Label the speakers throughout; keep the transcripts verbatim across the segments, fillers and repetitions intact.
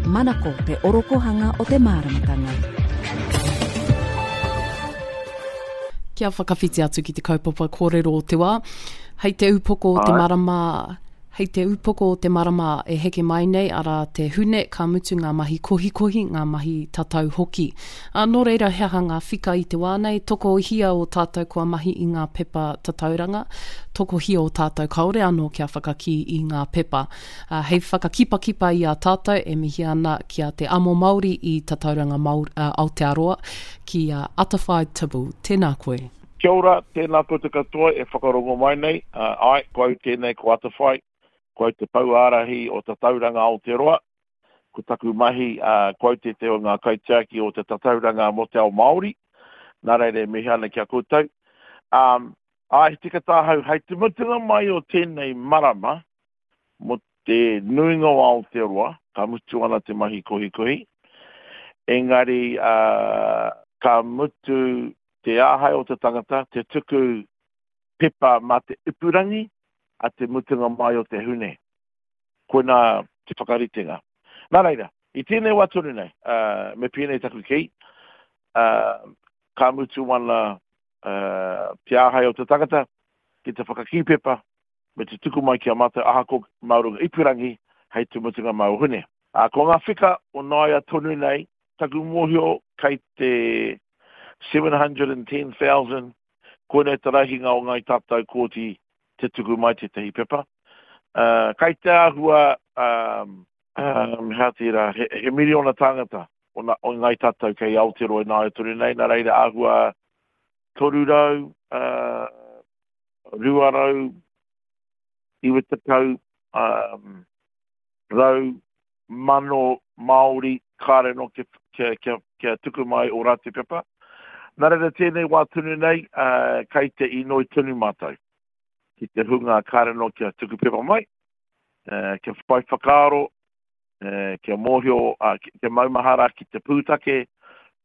Speaker 1: Manako te orokohanga o te māramatanga.
Speaker 2: Kia whakawhiti atu ki te kaupapa kōrero o te wā. Hei te upoko o te marama, hei te upoko o te marama e heke mai nei, arā te Hune, ka mutu ngā mahi kohikohi, ngā mahi tatau hoki. Ā, nō reira he aha ngā whika i te wā nei, tokohia o tātou kua mahi i ngā pepa tatauranga, tokohia o tātou kāore anō kia whakakī i ngā pepa. Ā, hei whakakipakipa i a tātou e mihi ana ki a Te Amo Māori i Tatauranga Māori, uh, Aotearoa, ki a Atawhai Tibble. Tēnā koe.
Speaker 3: Kia ora, tēnā koutou katoa e whakarongo mai nei. Uh, ai, ko au tēnei, ko Atawhai, ko au te pouārahi o Tatauranga Aotearoa. Ko taku mahi, uh, ko au tētehi o ngā kaitiaki o te Tatauranga mō te ao Māori. Nā reira e mihi ana ki a koutou. Um, ai, tika tāhau, hei te mutunga mai o tēnei marama, mō te nuinga o Aotearoa, ka mutu ana te mahi kohikohi. Engari, uh, ka mutu te āhei o te tangata, te tuku pepa mā te ipurangi a te mutunga mai o te Hune. Koinā te whakaritenga. Nā reira, i tēnei wā tonu nei, uh, me pēnei taku kī, uh, ka mutu ana uh, te āhei o te tangata ki te whakakī pepa me te tuku mai ki a mātou ahako mā runga ipurangi hei te mutunga mai o Hune. Uh, ko ngā whika o nāia tonu nei, taku mōhio kei te seven hundred and ten thousand, koinei te rahinga o ngāi tātou kōti te tuku mai tētahi pepa. Uh, kei te āhua, um, um, hea tērā, he, he miriona tāngata o, na, o ngāi tātou kei Aotearoa i nāia tonu nei, nā reira āhua toru rau, uh, rua rau, iwa tekau, um, rau, mano Māori kāre nō kia, kia, kia, kia tuku mai o rātou pepa. Nā reira tēnei wā tonu nei, uh, kei te inoi tonu mātou ki te hunga kāre nō kia tuku pepa mai, uh, kia whai whakaaro, uh, kia mōhio, uh, kia maumahara ki te pūtake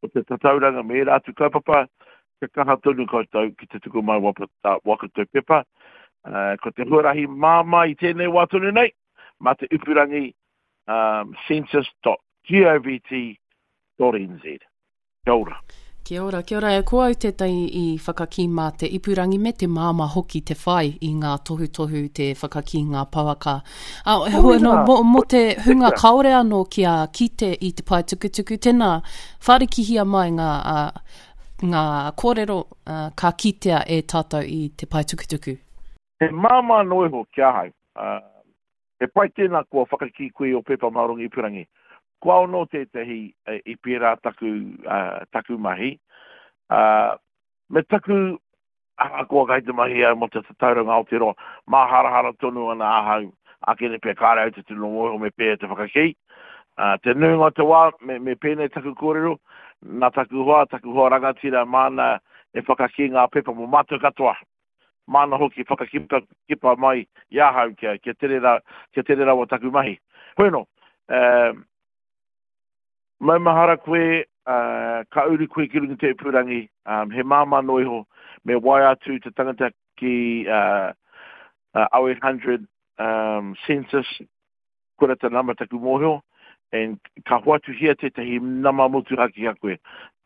Speaker 3: o te tatauranga me ērā atu kaupapa, kia kaha tonu koutou ki te tuku mai wapa, uh, wā koutou pepa. Uh, ko te huarahi māmā i tēnei wā tonu nei, mā te ipurangi um, census dot govt dot n z. Kia ora.
Speaker 2: Kia ora, kia ora. E ko au tētahi i whakakī mā te ipurangi me te māmā hoki te whai i ngā tohutohu te whakakī ngā pouaka. A,
Speaker 3: Oh,
Speaker 2: no,
Speaker 3: yeah.
Speaker 2: mo, mo te hunga
Speaker 3: Tika.
Speaker 2: kāore anō kia kite i te pae tukutuku, tēnā, whārikihia mai ngā, uh, ngā kōrero, uh, ka kitea e tātou i te pae tukutuku.
Speaker 3: He māmā noa iho ki ahau. Uh, he pai tēnā kua whakakī koe o pepa mā runga ipurangi. Kua ono tētahi e, i pērā taku, uh, taku mahi. Uh, me taku, ahakoa kai te mahi au mō te Tatauranga Aotearoa, māharahara tonu ana ahau, ākene pea kāre au te tino mōhio me pēhea te whakakī. Uh, te nuinga o te wā, me, me pēnei taku kōrero, nā taku hoa, taku hoa rangatira māna e whakakī ngā pepa mō mātou katoa. Māna hoki whakakipa kipa mai i ahau kia, kia tere ra, kia tere rawa taku mahi. Hoi anō, um, maumahara koe, uh, ka uru koe ki runga te ipurangi, um, he māmā noa iho, me waea atu te tangata ki, uh, uh, oh eight hundred, um, census, koira te nama taku mōhio, and ka hoatuhia tētahi nama motuhake ki a koe.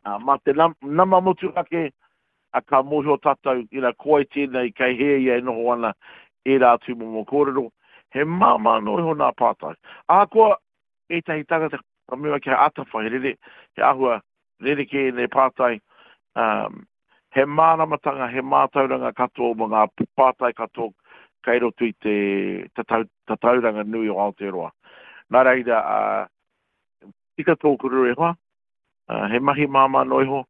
Speaker 3: Uh, mā te nam-, nama motuhake, uh, ka mōhio tātou, you know, ko ai tēnei, kei hea ia e noho ana, ērā atu momo kōrero. He māmā noa iho nā pātai. Ahakoa ētahi tangata ka mua kia atawhai, he rere, he āhua rerekē ēnei pātai, um, he māramatanga, he mātauranga katoa mō ngā pātai katoa kei roto i te tatau, tatauranga nui o Aotearoa. Nā reira, uh, tika tōku rere hoa, uh, he mahi māmā noa iho,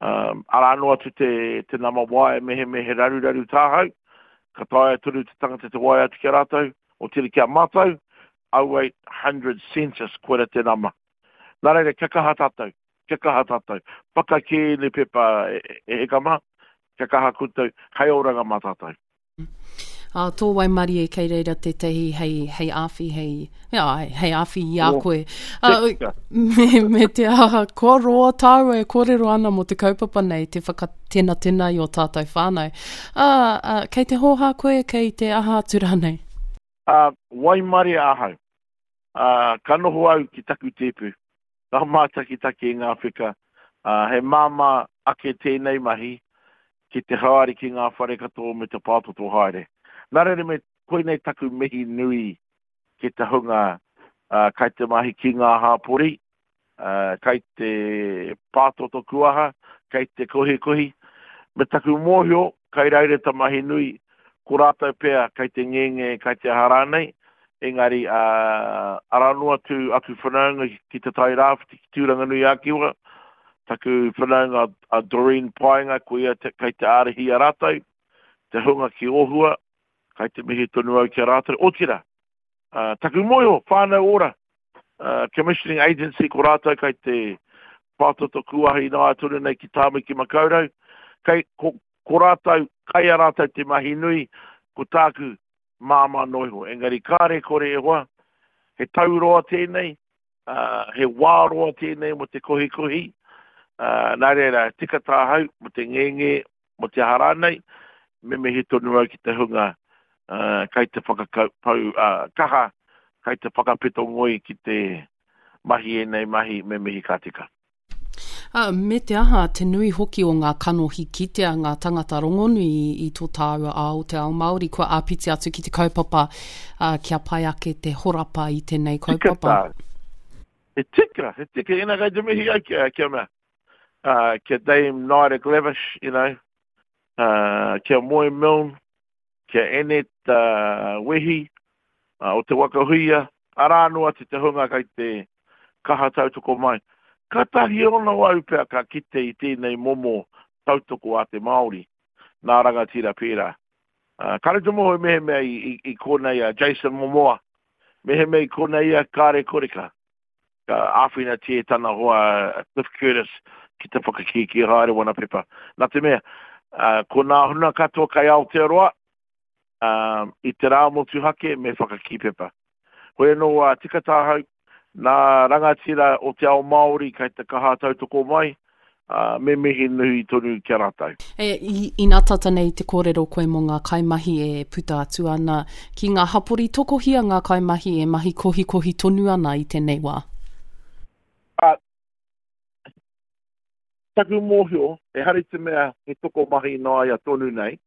Speaker 3: um, arā noa atu te, te nama waea me he, me he raruraru tāhau, ka taea tonu te tangata te waea atu ki a rātou, o tiri ki a mātou, oh eight hundred census, koira te nama. Nā reira, kia kaha tātou, kia kaha tātou. Whakakē ne pepa e, e heka mā, kia kaha koutou, hei oranga mā tātou.
Speaker 2: Ā, tō waimarie kei reira tētahi hei, hei āwhi, hei, ā, hei āwhi i a
Speaker 3: Oh,
Speaker 2: koe. Ā,
Speaker 3: tika.
Speaker 2: me, me te aha, kua roa tāua e kōrero ana mō te kaupapa nei, te whakatenatena i o tātou whānau. Ā, ā, kei te hōhā koe, kei te aha atu rānei?
Speaker 3: Ā, waimarie ahau. Uh, ka noho au ki taku tēpu, ka mātakitaki i ngā wheka, uh, he māmā ake tēnei mahi ki te haere ki ngā whare katoa me te pātoto haere. Nā reira me koinei taku mihi nui ki te hunga uh, kai te mahi ki ngā hāpori, uh, kai te pātoto kuaha, kai te kohikohi, me taku mōhio, kai reira ta mahi nui, ko rātou pea kai te ngenge, kai te aha rānei, engari uh, arā noa atu aku whanaunga ki te Tai Rāwhiti, ki Tūranganui a Kiwa, taku whanaunga a Doreen Paenga, ko ia te, kai te ārahi a rātou, te hunga ki Ohua, kai te mihi tonu au ki a rātou, otira, uh, taku mōhio, Whānau Ora, uh, Commissioning Agency, ko rātou kai te pātoto kuahi nā tonu nei ki Tāmaki Makaurau, kai, ko, ko rātou, kai a rātou te mahi nui, ko tāku māmā noa iho. Engari kāre kore e hoa, he tau roa tēnei, uh, he wā roa tēnei mo te kohikohi, uh, nā reira, tika tāhau, mo te ngenge, mo te aha rānei, me mihi tonu au ki te hunga uh, kai te whakapau uh, kaha, kai te whakapeto ngoi ki te mahi ēnei mahi, me mihi ka tika.
Speaker 2: Uh, me te aha, te nui hoki o ngā kanohi kitea ngā tangata rongonui i, i tō tāua ao te ao Māori, kua āpiti atu ki te kaupapa uh, kia pai ake te horapa i tēnei
Speaker 3: Tika
Speaker 2: kaupapa.
Speaker 3: tā. He tika, he tika, ina kai te mihi au kia, kia mea. Uh, kia Dame Naida Glavish, you know, uh, kia Moe Milne, kia Annette uh, Wehi, uh, o te Waka Huia, arā noa atu te hunga kai te kaha tautoko mai. Ka tahi ono au pea ka kite i tēnei momo tautoko a te Māori, nā rangatira pērā. Uh, kāre te moho mehemea i, i, i konei a Jason Momoa, mehemea i konei ia kāre kore ka, ka āwhinatia e tana hoa Cliff Curtis ki te whakakīkī haere wana pepa. Nā te mea, uh, ko nā huna katoa kai Aotearoa, um, i te rā motuhake me whakakī pepa. Hoi anō uh, tika tāhau, nā rangatira o te ao Māori kai te kaha tautoko mai, uh, me mihi nui tonu ki a rātou.
Speaker 2: E, i, ina tata nei te kōrero koe mō ngā kaimahi e puta atu ana ki ngā hapori, tokohia ngā kaimahi e mahi kohikohi tonu ana i tēnei wā?
Speaker 3: Uh, taku mōhio, e hari te mea he tokomahi nāia tonu nei,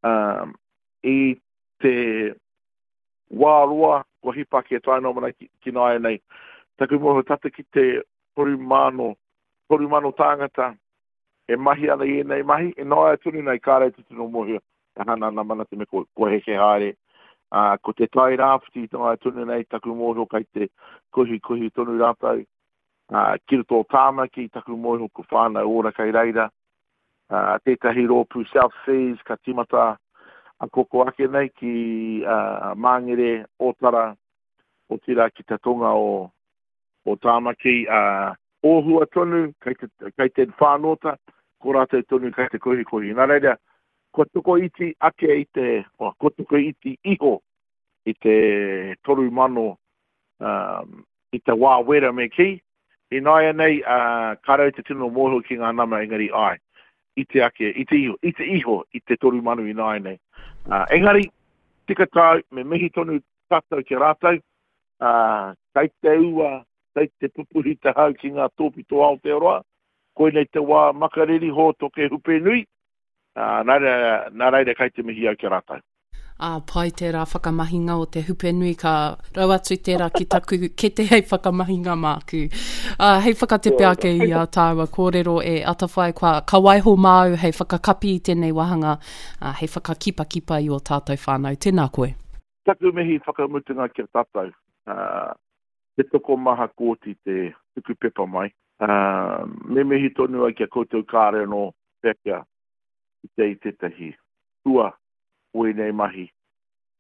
Speaker 3: um, i te wā roa kua hipa ki e tae noa mai ki, ki nāia nei, taku mōhio tata ki te toru mano, toru mano tāngata e mahi ana i ēnei mahi, e nāia tonu nei kāre te tino mōhio, e hana ana mana te me ko, ko heke haere. Uh, ko te Tai Rāwhiti nāia tonu nei, taku mōhio kai te kohikohi tonu rātou. Uh, ki roto o Tāmaki, taku mōhio ko Whānau Ora kai reira. Uh, tētahi rōpū South Seas ka timata a koko ake nei ki, uh, Māngere, Ōtara, otira ki te tonga o, o Tāmaki. Uh, Ōhua tonu, kai te, kai te whānōta, ko rātou tonu kai te kohikohi. Nā reira, kua toko iti ake i te, oh, kua toko iti iho i te toru mano, um, i te wā wera me ki. I nāia nei, uh, ka rau te tino mōhio ki ngā nama engari ai, i te ake, i te iho, i te iho, i te toru mano i nāia nei. Uh, engari, tika tāu, me mihi tonu tātou ki a rātou, uh, kai te ua, kai te pupuhi te hau ki ngā tōpito Aotearoa, koinei te wā makariri hōtoke hupe nui, uh, nā reira, nā reira kai te mihi au ki a rātou.
Speaker 2: Ā, pai tērā whakamahinga o te hupe nui, ka rau atu tērā ki taku kete hei whakamahinga māku. Ā, hei whakatepe ake i a tāua kōrero e Atawhai, kua ka waiho māu hei whakakapi i tēnei wāhanga, ā, hei whakakipakipa i o tātou whānau. Tēnā koe.
Speaker 3: Taku mihi whakamutunga ki a tātou. Uh, te tokomaha kōti te tuku pepa mai. Uh, me mihi tonu ai ki a koutou kāre anō pea kia i te i tētahi hua o ēnei mahi.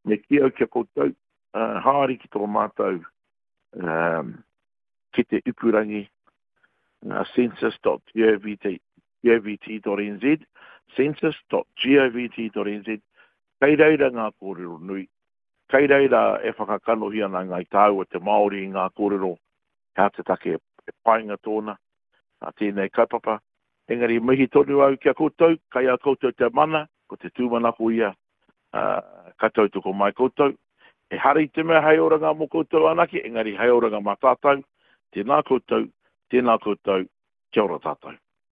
Speaker 3: Me ki au ki a koutou, uh, haere ki tō mātou, um, ki te ipurangi, uh, census dot gov dot n z, census dot gov dot n z, kei reira ngā kōrero nui, kei reira e whakakanohi ana ngāi tāua te Māori i ngā kōrero, hea te take e painga tōna, a tēnei kaupapa. Engari mihi tonu au ki a koutou, kai a koutou te mana, ko te tūmanako ia, uh, ka tautoko mai koutou, Ehara i te mea hei oranga mō koutou anake, engari hei oranga mā tātou. Tēnā koutou, tēnā koutou, kia ora tātou.